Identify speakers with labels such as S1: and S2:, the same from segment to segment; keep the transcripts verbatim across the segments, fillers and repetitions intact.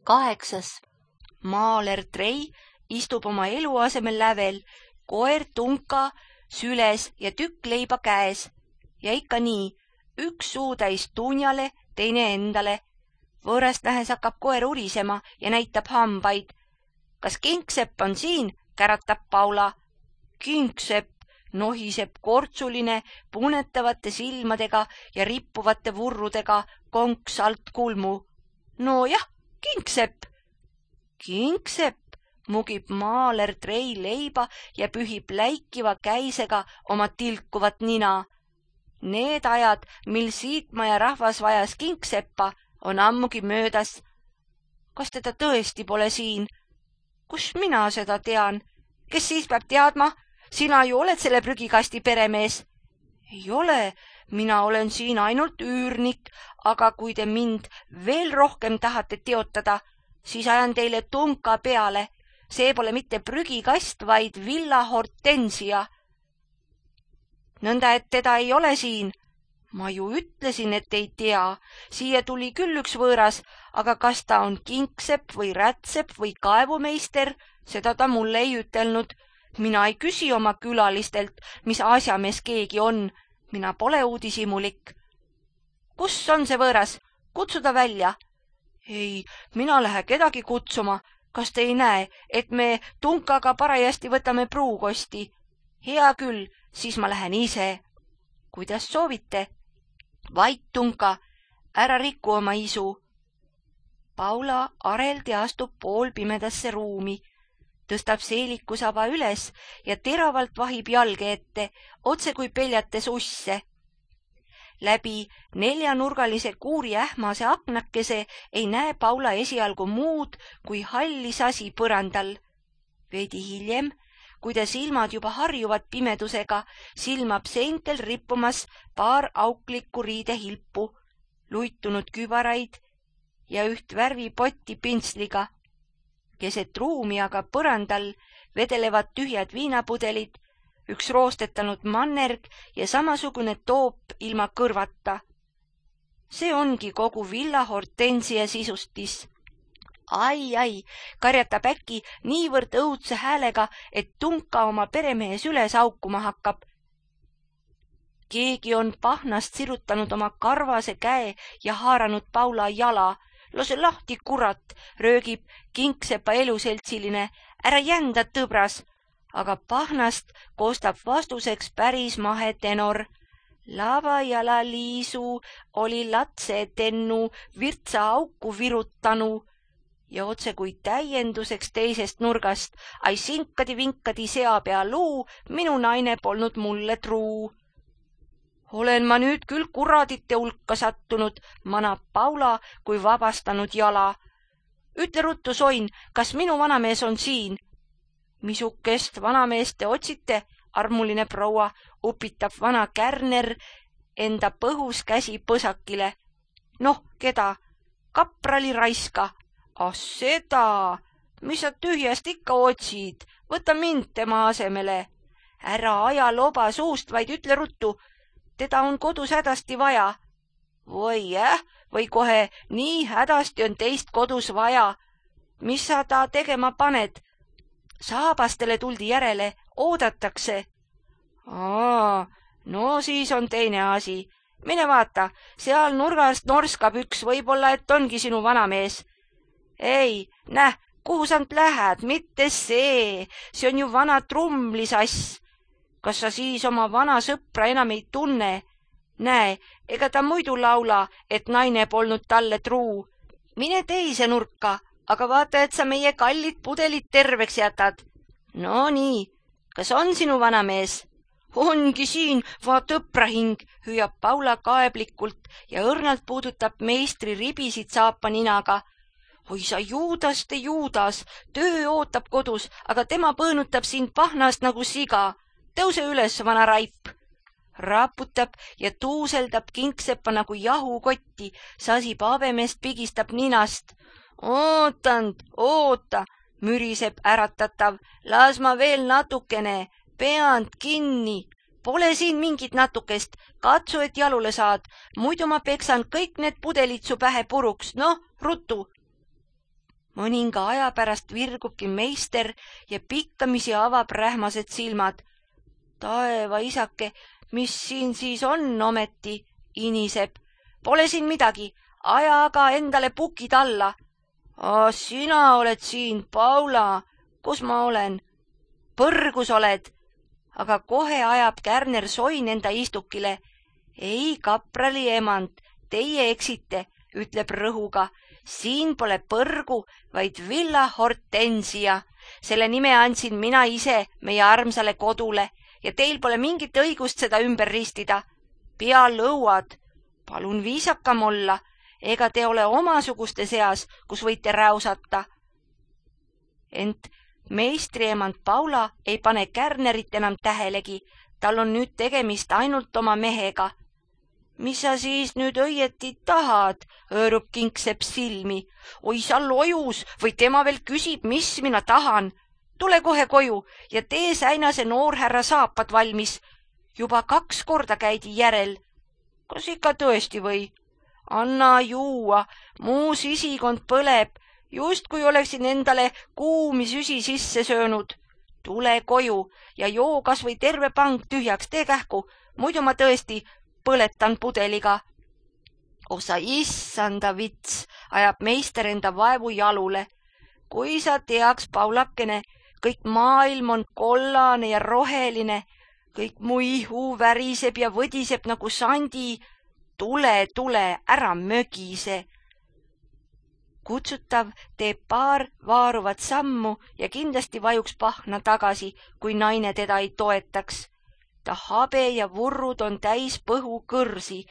S1: Kaheksas. Maaler Trei istub oma eluasemel lävel, koer Tunka süles ja tükk leiba käes. Ja ikka nii, üks suutäis Tunjale, teine endale. Võõrast nähes hakkab koer urisema ja näitab hambaid. Kas Kingsepp on siin, käratab Paula. Kingsepp nohiseb kortsuline, punetavate silmadega ja rippuvate vurrudega konks alt kulmu. No jah, Kingsepp. Kingsepp mugib Maaler Trei leiba ja pühib läikiva käisega oma tilkuvat nina. Need ajad, mil Siitmaja rahvas vajas Kingseppa, on ammugi möödas. Kas teda tõesti pole siin? Kus mina seda tean? Kes siis peab teadma? Sina ju oled selle prügikasti peremees. Ei ole, mina olen siin ainult üürnik, aga kui te mind veel rohkem tahate teotada, siis ajan teile Tunka peale. See pole mitte prügikast, vaid Villa Hortensia. Nõnda, et teda ei ole siin. Ma ju ütlesin, et ei tea. Siia tuli küll üks võõras, aga kas ta on Kingsepp või Rätsepp või kaevumeister, seda ta mulle ei ütelnud. Mina ei küsi oma külalistelt, mis asjamees keegi on. Mina pole uudishimulik. Kus on see võõras? Kutsu ta välja. Ei, mina lähe kedagi kutsuma. Kas te ei näe, et me Tunkaga parajasti võtame pruukosti? Hea küll, siis ma lähen ise. Kuidas soovite? Vait, Tunka, ära riku oma isu. Paula areldi astub poolpimedasse ruumi, tõstab seelikusaba üles ja teravalt vahib jalge ette, otse kui peljates usse. Läbi neljanurgalise kuuri ähmase aknakese ei näe Paula esialgu muud kui halli sasi põrandal. Veidi hiljem, kui ta silmad juba harjuvad pimedusega, silmab seintel rippumas paar auklikku riidehilpu, luitunud kübaraid ja üht värvipotti pintsliga. Keset ruumi aga põrandal vedelevad tühjad viinapudelid, üks roostetanud mannerg ja samasugune toop ilma kõrvata. See ongi kogu Villa Hortensia sisustis. Ai, ai, karjatab äkki niivõrd õudse häälega, et Tunka oma peremehes üles aukuma hakkab. Keegi on pahnast sirutanud oma karvase käe ja haaranud Paula jala. Lase lahti, kurat, röögib Kingsepa eluseltsiline. Ära jända, tõbras. Aga pahnast koostab vastuseks päris mahe tenor. Lava jala liisu oli latse tennu virtsa auku virutanu. Ja otse kui täienduseks teisest nurgast, ai sinkadi-vinkadi seapea luu, minu naine polnud mulle truu. Olen ma nüüd küll kuradite hulka sattunud, manab Paula kui vabastanud jala. Ütle ruttu, Soin, kas minu vanamees on siin? Misukest vanameest te otsite, armuline proua, upitab vana Kärner enda põhus käsi põsakile. Noh, keda? Kaprali raiska. Ah seda, mis sa tühjast ikka otsid, võta mind tema asemele. Ära aja loba suust, vaid ütle ruttu, teda on kodus hädasti vaja. Või jah, või kohe nii hädasti on teist kodus vaja. Mis sa ta tegema paned? Saabastele tuldi järele, oodatakse. Aa, no siis on teine asi. Mine vaata, seal nurgast norskab üks, võib-olla, et ongi sinu vanamees. Ei, näh, kuhu sa lähed, mitte see, see on ju vana trumlisass. Kas sa siis oma vana sõpra enam ei tunne? Näe, ega ta muidu laula, et naine polnud talle truu. Mine teise nurka, aga vaata, et sa meie kallid pudelid terveks jätad. No nii, kas on sinu vanamees? Ongi siin, vaata õprahing, hüüab Paula kaeblikult ja õrnalt puudutab meistri ribisid saapa ninaga. Oi sa Juudaste Juudas, töö ootab kodus, aga tema põõnutab sind pahnast nagu siga. Tõuse üles, vana raip. Raputab ja tuuseldab Kingseppa nagu jahukotti, sasib abemeest pigistab ninast. Ootand, oota, müriseb äratatav, las ma veel natukene, peand kinni. Pole siin mingit natukest, katsu, et jalule saad, muidu ma peksan kõik need pudelid su pähe puruks, noh, rutu. mõninga aja pärast virgubki meister ja pikkamisi avab rähmased silmad. Taeva isake, mis siin siis on ometi, iniseb. Pole siin midagi, aja aga endale pukid alla. A, sina oled siin, Paula, kus ma olen? Põrgus oled. Aga kohe ajab Kärner Soin enda istukile. Ei, kaprali emand, teie eksite, ütleb rõhuga. Siin pole põrgu, vaid Villa Hortensia. Selle nime andsin mina ise meie armsale kodule ja teil pole mingit õigust seda ümber ristida. Pea lõuad, palun viisakam olla, ega te ole omasuguste seas, kus võite räusata. Ent meistriemand Paula ei pane Kärnerit enam tähelegi, tal on nüüd tegemist ainult oma mehega. Mis sa siis nüüd õieti tahad, hõõrub Kingsepp silmi. Oi, sa lojus või tema veel küsib, mis mina tahan. Tule kohe koju ja tee säinase noorhärra saapad valmis. Juba kaks korda käidi järel. Kas ikka tõesti või? Anna juua, muu sisikond põleb, just kui oleksin endale kuumi süsi sisse söönud. Tule koju ja joo kas või terve pank tühjaks, tee kähku, muidu ma tõesti põletan pudeliga. Osa issanda vits, ajab meister enda vaevu jalule. Kui sa teaks, Paulakene, kõik maailm on kollane ja roheline, kõik mu ihu väriseb ja võdiseb nagu sandi. Tule, tule, ära mögise. Kutsutav teeb paar vaaruvat sammu ja kindlasti vajuks pahna tagasi, kui naine teda ei toetaks. Ta habe ja vurrud on täis põhu kõrsi.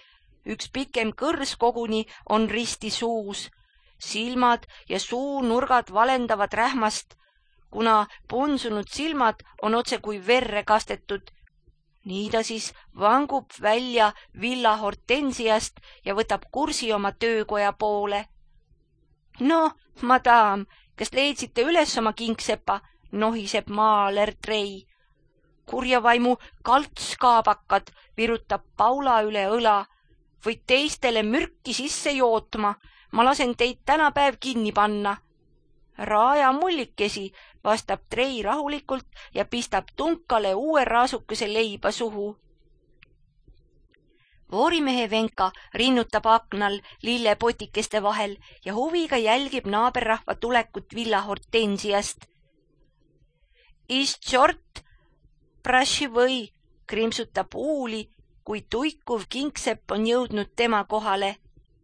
S1: Üks pikem kõrs koguni on risti suus. Silmad ja suu nurgad valendavad rähmast, kuna punsunud silmad on otse kui verre kastetud. Nii ta siis vangub välja Villa Hortensiast ja võtab kursi oma töökoja poole. No, madam, kas leidsite üles oma Kingsepa, nohiseb maaler Trei. Kurja vaimu kaltskaabakad virutab Paula üle õla. Võid teistele mürki sisse jootma, ma lasen teid tänapäev kinni panna. Raaja mullikesi, vastab Trei rahulikult ja pistab tunkale uue raasukese leiba suhu. Voorimehe Venka rinnutab aknal lillepotikeste vahel ja huviga jälgib naaberrahva tulekut Villa Hortensiast. Is tšort, praši või, krimsutab uuli, kui tuikuv Kingsepp on jõudnud tema kohale.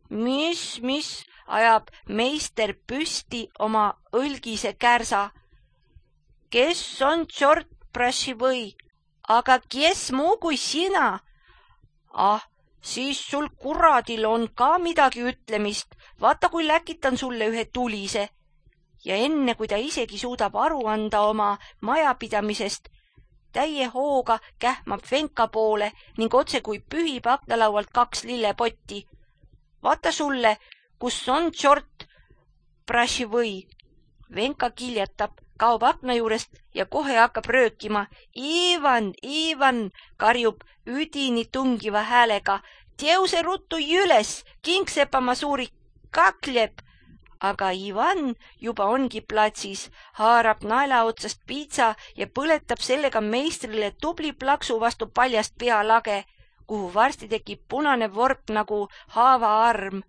S1: Mis, mis, ajab meister püsti oma õlgise kärsa. Kes on tšort, praši või? Aga kes muu kui sina? Ah, siis sul kuradil on ka midagi ütlemist. Vaata, kui läkitan sulle ühe tulise. Ja enne, kui ta isegi suudab aru anda oma majapidamisest, täie hooga kähmab Venka poole ning otse kui pühib aknalaualt kaks lillepotti. Vaata sulle, kus on tšort, praši või. Venka kiljatab, kaob akna juurest ja kohe hakkab röökima. Ivan, Ivan, karjub üdini tungiva häälega. Teuse ruttu üles, Kingsepa ma suuri kakleb. Aga Ivan juba ongi platsis, haarab naela otsast piitsa ja põletab sellega meistrile tubli plaksu vastu paljast pealage, kuhu varsti tekib punane vorp nagu haavaarm.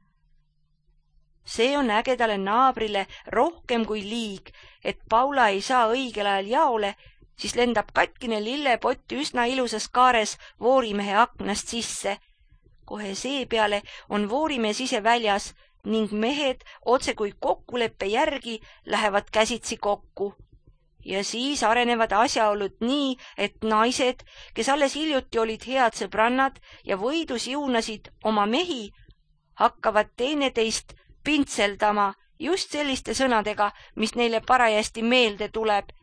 S1: See on ägedale naabrile rohkem kui liig, et Paula ei saa õigel ajal jaole, siis lendab katkine lillepott üsna ilusas kaares voorimehe aknast sisse. Kohe seepeale on voorimees ise väljas ning mehed otse kui kokkuleppe järgi lähevad käsitsi kokku. Ja siis arenevad asjaolud nii, et naised, kes alles hiljuti olid head sõbrannad ja võidus juunasid oma mehi, hakkavad teineteist pintseldama just selliste sõnadega, mis neile parajasti meelde tuleb.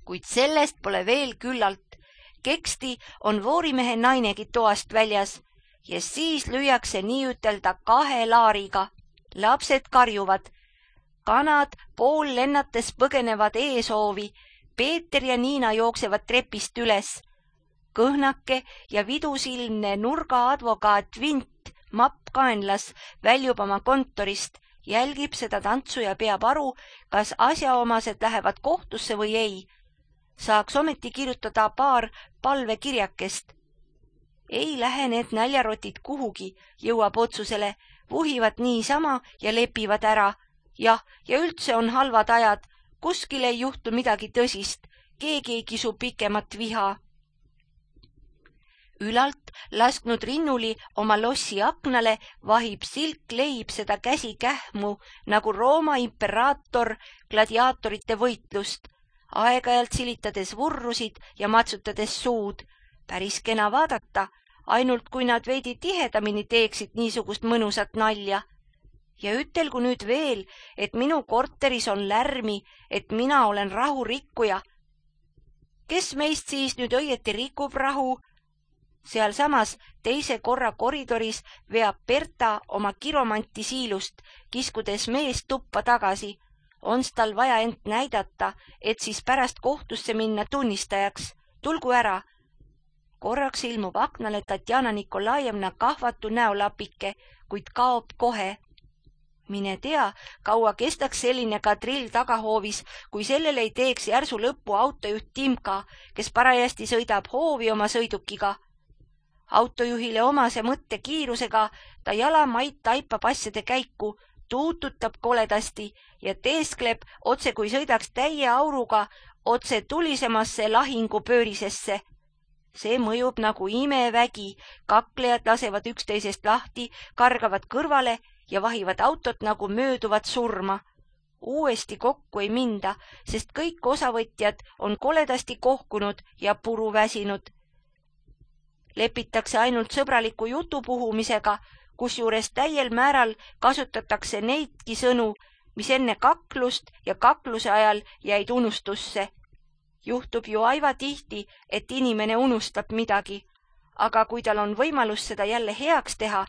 S1: Kuid sellest pole veel küllalt. Keksti on voorimehe nainegi toast väljas ja siis lüüakse nii ütelda kahe laariga. Lapsed karjuvad. Kanad pool lennates põgenevad eesoovi. Peeter ja Niina jooksevad trepist üles. Kõhnake ja vidusilmne nurga advokaat Vint, mapp kaenlas, väljub oma kontorist jälgib seda tantsu ja peab aru, kas asjaomased lähevad kohtusse või ei. Saaks ometi kirjutada paar palvekirjakest. Ei lähe need näljarotid kuhugi, jõuab otsusele, vuhivad niisama ja lepivad ära. Jah, ja üldse on halvad ajad, kuskil ei juhtu midagi tõsist, keegi ei kisu pikemat viha. Ülalt lasknud rinnuli oma lossi aknale vahib silk leib seda käsi kähmu nagu Rooma imperaator gladiaatorite võitlust, aeg-ajalt silitades vurrusid ja matsutades suud. Päris kena vaadata, ainult kui nad veidi tihedamini teeksid niisugust mõnusat nalja. Ja ütelgu nüüd veel, et minu korteris on lärmi, et mina olen rahurikkuja. Kes meist siis nüüd õieti rikub rahu? Sealsamas teise korra koridoris veab Berta oma kiromanti siilust, kiskudes meest tuppa tagasi. Ons tal vaja ent näidata, et siis pärast kohtusse minna tunnistajaks. Tulgu ära. Korraks ilmub aknale Tatjana Nikolajevna kahvatu näolapike, kuid kaob kohe. Mine tea, kaua kestaks selline kadrill tagahoovis, kui sellele ei teeks järsu lõppu autojuht Timka, kes parajasti sõidab hoovi oma sõidukiga. Autojuhile omase mõtte kiirusega ta jalamaid taipab asjade käiku, tuututab koledasti ja teeskleb otse kui sõidaks täie auruga otse tulisemasse lahingupöörisesse. See mõjub nagu imevägi, kaklejad lasevad üksteisest lahti, kargavad kõrvale ja vahivad autot nagu mööduvat surma. Uuesti kokku ei minda, sest kõik osavõtjad on koledasti kohkunud ja puru väsinud. Lepitakse ainult sõbraliku jutu puhumisega, kusjuures täiel määral kasutatakse neidki sõnu, mis enne kaklust ja kakluse ajal jäid unustusse. Juhtub ju aiva tihti, et inimene unustab midagi, aga kui tal on võimalus seda jälle heaks teha,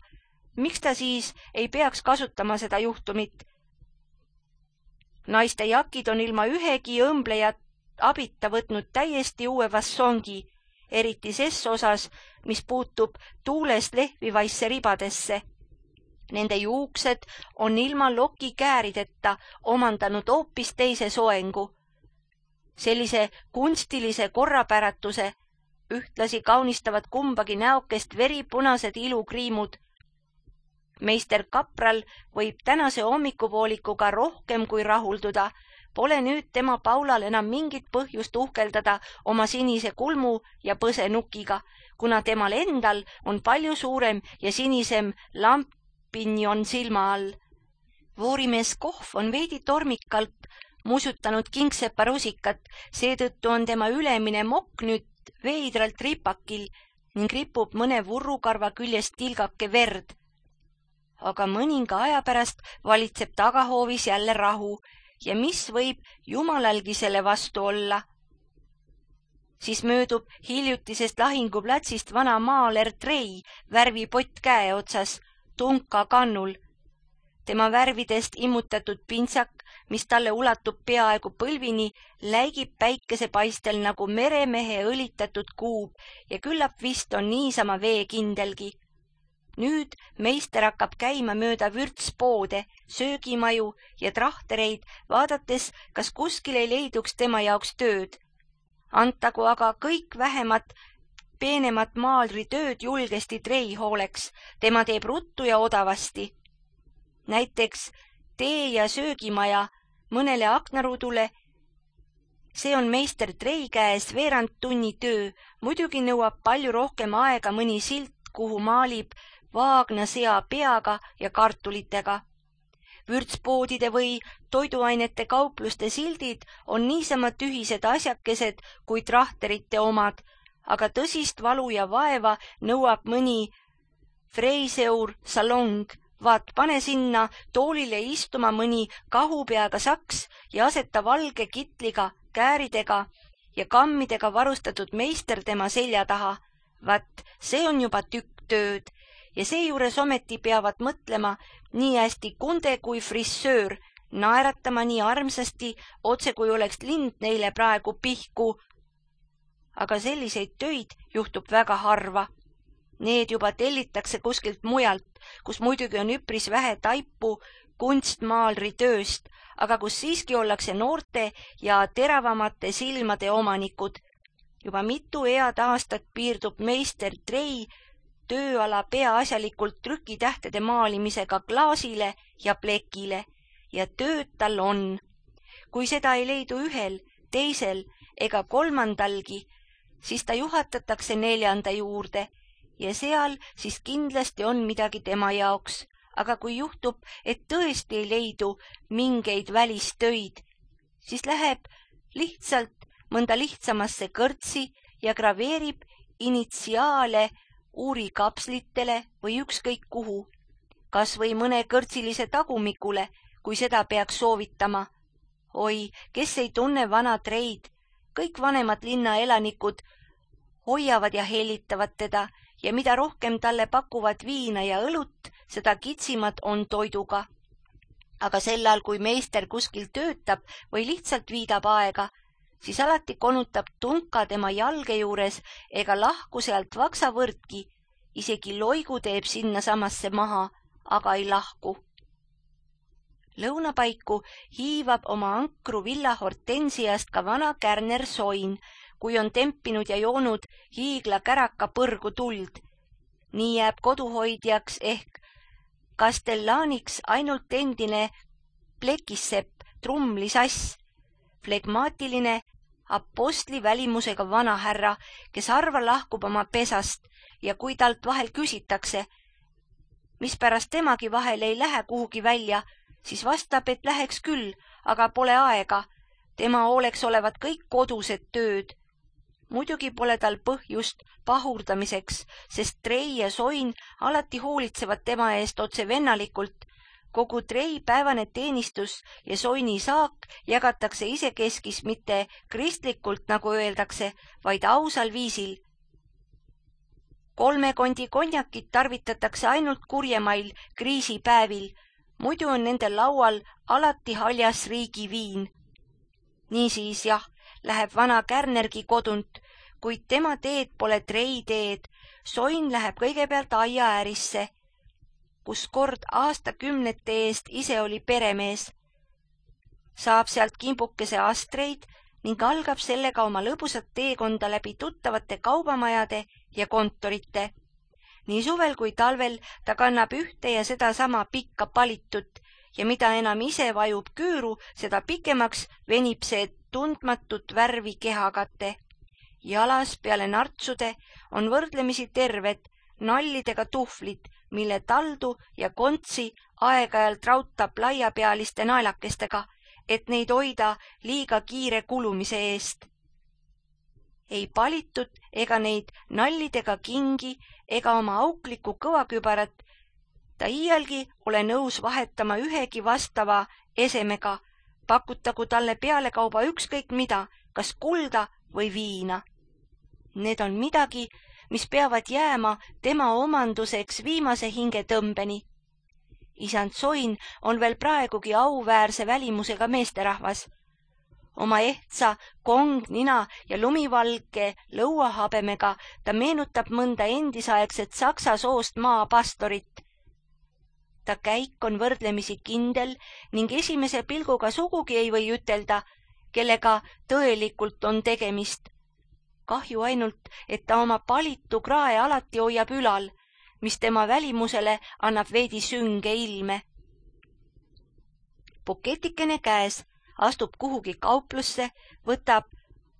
S1: miks ta siis ei peaks kasutama seda juhtumit? Naiste jakid on ilma ühegi õmbleja abita võtnud täiesti uue fassongi, eriti ses osas, mis puutub tuulest lehvivaisse ribadesse. Nende juuksed on ilma loki käärideta omandanud hoopis teise soengu. Sellise kunstilise korrapäratuse ühtlasi kaunistavad kumbagi näokest veripunased ilukriimud. Meister Kapral võib tänase hommikupoolikuga rohkem kui rahulduda. Pole nüüd tema Paulal enam mingit põhjust uhkeldada oma sinise kulmu ja põsenukiga, kuna temal endal on palju suurem ja sinisem lampinjon silma all. Voorimees Kohv on veidi tormikalt musutanud kingsepa rusikat, seetõttu on tema ülemine mokk nüüd veidralt ripakil ning ripub mõne vurrukarva küljest tilgake verd. Aga mõninga aja pärast valitseb tagahoovis jälle rahu ja mis võib jumalalgi selle vastu olla. Siis möödub hiljutisest lahinguplatsist vana maaler Trei, värvipott käe otsas, tunka kannul. Tema värvidest immutatud pintsak, mis talle ulatub peaaegu põlvini, läigib päikesepaistel nagu meremehe õlitatud kuub ja küllap vist on niisama veekindelgi. Nüüd meister hakkab käima mööda vürtspoode, söögimaju ja trahtereid, vaadates, kas kuskil ei leiduks tema jaoks tööd. Antagu aga kõik vähemat, peenemat maalritööd julgesti Trei hooleks, tema teeb ruttu ja odavasti. Näiteks tee- ja söögimaja mõnele aknarudule, see on meister Trei käes veerand tunni töö, muidugi nõuab palju rohkem aega mõni silt, kuhu maalib vaagna sea peaga ja kartulitega. Vürtspoodide või toiduainete kaupluste sildid on niisama tühised asjakesed kui trahterite omad, aga tõsist valu ja vaeva nõuab mõni Freiseur salong. Vaat pane sinna toolile istuma mõni kahupeaga saks ja aseta valge kitliga, kääridega ja kammidega varustatud meister tema selja taha. Vaat see on juba tükk tööd. Ja seejuures ometi peavad mõtlema nii hästi kunde kui frissöör, naeratama nii armsasti, otse kui oleks lind neile praegu pihku. Aga selliseid töid juhtub väga harva. Need juba tellitakse kuskilt mujalt, kus muidugi on üpris vähe taipu, kunstmaalri tööst, aga kus siiski ollakse noorte ja teravamate silmade omanikud. Juba mitu head aastat piirdub meister Trei tööala peaasjalikult trükitähtede maalimisega klaasile ja plekile ja tööd tal on. Kui seda ei leidu ühel, teisel ega kolmandalgi, siis ta juhatatakse neljanda juurde ja seal siis kindlasti on midagi tema jaoks. Aga kui juhtub, et tõesti ei leidu mingeid välistöid, siis läheb lihtsalt mõnda lihtsamasse kõrtsi ja graveerib initsiaale uurikapslitele või ükskõik kuhu, kas või mõne kõrtsilise tagumikule, kui seda peaks soovitama. Oi, kes ei tunne vana Treid, kõik vanemad linnaelanikud hoiavad ja hellitavad teda ja mida rohkem talle pakuvad viina ja õlut, seda kitsimad on toiduga. Aga sellal, kui meister kuskil töötab või lihtsalt viidab aega, siis alati konutab tunka tema jalge juures ega lahku sealt vaksavõrdki, isegi loigu teeb sinna samasse maha, aga ei lahku. Lõunapaiku hiivab oma ankru villa hortensiast ka vana kärner Soin, kui on tempinud ja joonud hiigla käraka põrgu tuld. Nii jääb koduhoidjaks ehk kastellaaniks ainult endine plekissepp trumlisass, flegmaatiline apostli välimusega vanahärra, kes harva lahkub oma pesast ja kui talt vahel küsitakse, mispärast temagi vahel ei lähe kuhugi välja, siis vastab, et läheks küll, aga pole aega. Tema hooleks olevat kõik kodused tööd. Muidugi pole tal põhjust pahurdamiseks, sest Trei ja Soin alati hoolitsevad tema eest otse vennalikult. Kogu Trei päevane teenistus ja Soini saak jagatakse isekeskis mitte kristlikult, nagu öeldakse, vaid ausal viisil. Kolme kondi konjakit tarvitatakse ainult kurjemail kriisipäevil, muidu on nende laual alati haljas riigiviin. Niisiis jah, läheb vana kärnergi kodunt, kuid tema teed pole Trei teed. Soin läheb kõigepealt aiaäärisse, kus kord aastakümnete eest ise oli peremees. Saab sealt kimbukese astreid ning algab sellega oma lõbusat teekonda läbi tuttavate kaubamajade ja kontorite. Nii suvel kui talvel ta kannab ühte ja seda sama pikka palitut ja mida enam ise vajub küüru, seda pikemaks venib see tundmatut värvi kehakate. Jalas peale nartsude on võrdlemisi terved nallidega tuhvlid, mille taldu ja kontsi aeg-ajalt rautab laiapealiste naelakestega, et neid hoida liiga kiire kulumise eest. Ei palitud ega neid nallidega kingi ega oma auklikku kõvakübarat ta iialgi ole nõus vahetama ühegi vastava esemega, pakutagu talle pealekauba ükskõik mida, kas kulda või viina. Need on midagi, mis peavad jääma tema omanduseks viimase hingetõmbeni. Isand Soin on veel praegugi auväärse välimusega meesterahvas. Oma ehtsa kong, nina ja lumivalge lõuahabemega ta meenutab mõnda endisaegset saksa soost maapastorit. Ta käik on võrdlemisi kindel ning esimese pilguga sugugi ei või ütelda, kellega tõelikult on tegemist. Kahju ainult, et ta oma palitu krae alati hoiab ülal, mis tema välimusele annab veidi sünge ilme. Puketikene käes astub kuhugi kauplusse, võtab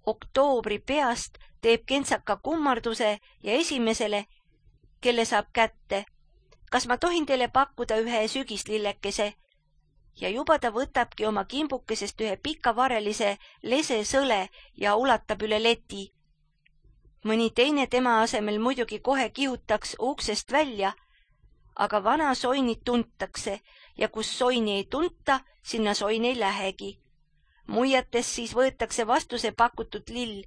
S1: oktoobri peast, teeb kentsaka kummarduse ja esimesele, kelle saab kätte. Kas ma tohin teile pakkuda ühe sügislillekese? Ja juba ta võtabki oma kimbukesest ühe pikavarelise lese sõle ja ulatab üle leti. Mõni teine tema asemel muidugi kohe kihutaks uksest välja, aga vana Soinit tuntakse ja kus Soini ei tunta, sinna Soin ei lähegi. Muiates siis võetakse vastu see pakutud lill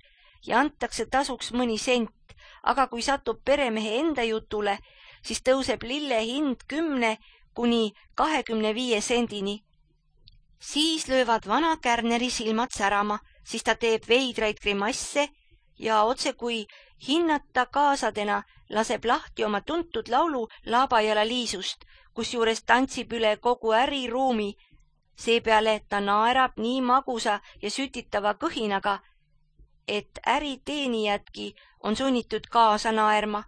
S1: ja antakse tasuks mõni sent, aga kui satub peremehe enda jutule, siis tõuseb lille hind kümne kuni kahekümne viie sendini. Siis löövad vana kärneri silmad särama, siis ta teeb veidraid grimasse ja otse kui hinnata kaasadena laseb lahti oma tuntud laulu Laabajala Liisust, kusjuures tantsib üle kogu äriruumi. Seepeale ta naerab nii magusa ja sütitava kõhinaga, et äriteenijadki on sunnitud kaasa naerma.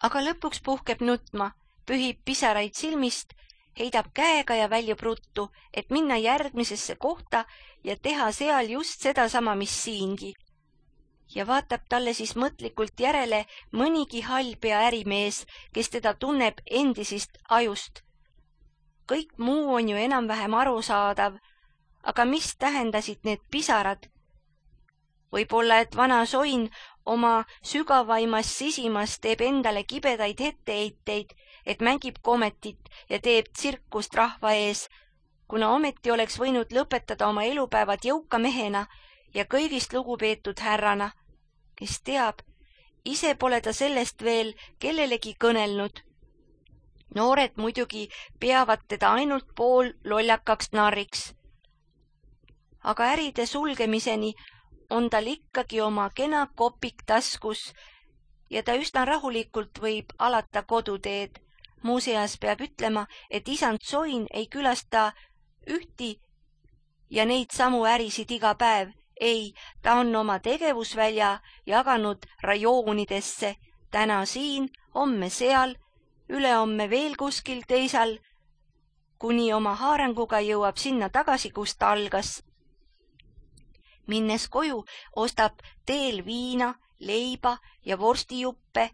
S1: Aga lõpuks puhkeb nutma, pühib pisaraid silmist, heidab käega ja väljub ruttu, et minna järgmisesse kohta ja teha seal just sedasama, mis siingi. Ja vaatab talle siis mõtlikult järele mõnigi hallpea ärimees, kes teda tunneb endisist ajust. Kõik muu on ju enam-vähem arusaadav, aga mis tähendasid need pisarad? Võib-olla, et vana Soin oma sügavaimas sisimas teeb endale kibedaid etteheiteid, et mängib kometit ja teeb tsirkust rahva ees, kuna ometi oleks võinud lõpetada oma elupäevad jõuka mehena ja kõigist lugupeetud härrana. Kes teab, ise pole ta sellest veel kellelegi kõnelnud. Noored muidugi peavad teda ainult pool lollakaks narriks. Aga äride sulgemiseni on tal ikkagi oma kena kopik taskus ja ta üsna rahulikult võib alata koduteed. Muuseas peab ütlema, et isand Soin ei külasta ühti ja neid samu ärisid iga päev. Ei, ta on oma tegevusvälja jaganud rajoonidesse, täna siin, homme seal, ülehomme veel kuskil teisal, kuni oma haaranguga jõuab sinna tagasi, kust ta algas. Minnes koju ostab teel viina, leiba ja vorstijuppe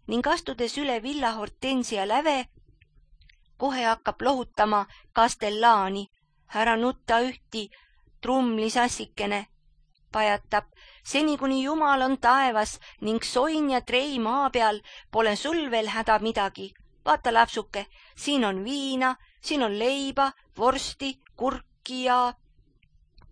S1: ning astudes üle villa Hortensia läve, kohe hakkab lohutama Kastellaani, ära nutta ühti, trumlisassikene, pajatab, seni kuni Jumal on taevas ning Soin ja Trei maa peal, pole sul veel häda midagi. Vaata, lapsuke, siin on viina, siin on leiba, vorsti, kurki ja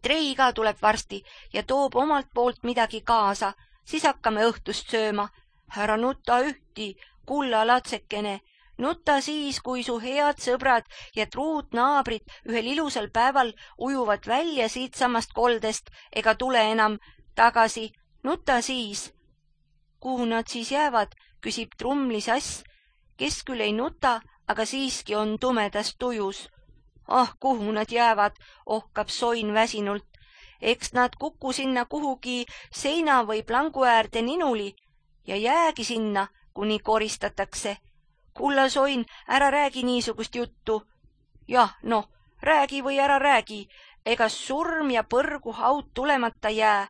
S1: Trei ka tuleb varsti ja toob omalt poolt midagi kaasa, siis hakkame õhtust sööma. Ära nuta ühti, kulla latsekene, nuta siis, kui su head sõbrad ja truud naabrid ühel ilusal päeval ujuvad välja siit samast koldest ega tule enam tagasi. Nuta siis. Kuhu nad siis jäävad, küsib trumlisass, kes küll ei nuta, aga siiski on tumedas tujus. Ah, kuhu nad jäävad, ohkab Soin väsinult. Eks nad kuku sinna kuhugi seina või plangu äärde ninuli ja jäägi sinna, kuni koristatakse. Kulla Soin, ära räägi niisugust juttu. Jah, noh, räägi või ära räägi, ega surm ja põrgu haud tulemata jää.